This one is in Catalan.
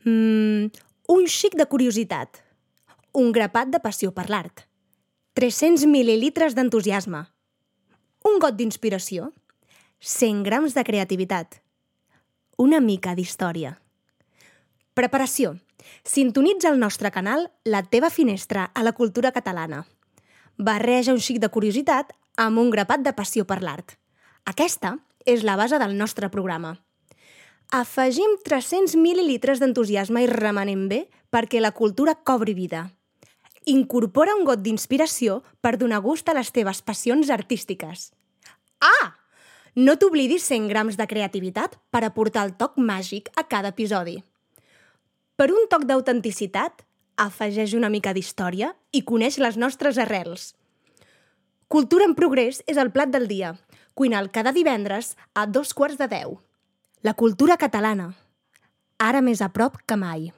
Un xic de curiositat. Un grapat de passió per l'art. 300 mil·lilitres d'entusiasme. Un got d'inspiració. 100 grams de creativitat. Una mica d'història. Preparació. Sintonitza el nostre canal La teva finestra a la cultura catalana. Barreja un xic de curiositat amb un grapat de passió per l'art. Aquesta és la base del nostre programa. Afegim 300 mil·lilitres d'entusiasme i remenem bé perquè la cultura cobri vida. Incorpora un got d'inspiració per donar gust a les teves passions artístiques. Ah! No t'oblidis 100 grams de creativitat per aportar el toc màgic a cada episodi. Per un toc d'autenticitat, afegeix una mica d'història i coneix les nostres arrels. Cultura en progrés és el plat del dia. Cuina'l cada divendres a 10:15. La cultura catalana, ara més a prop que mai.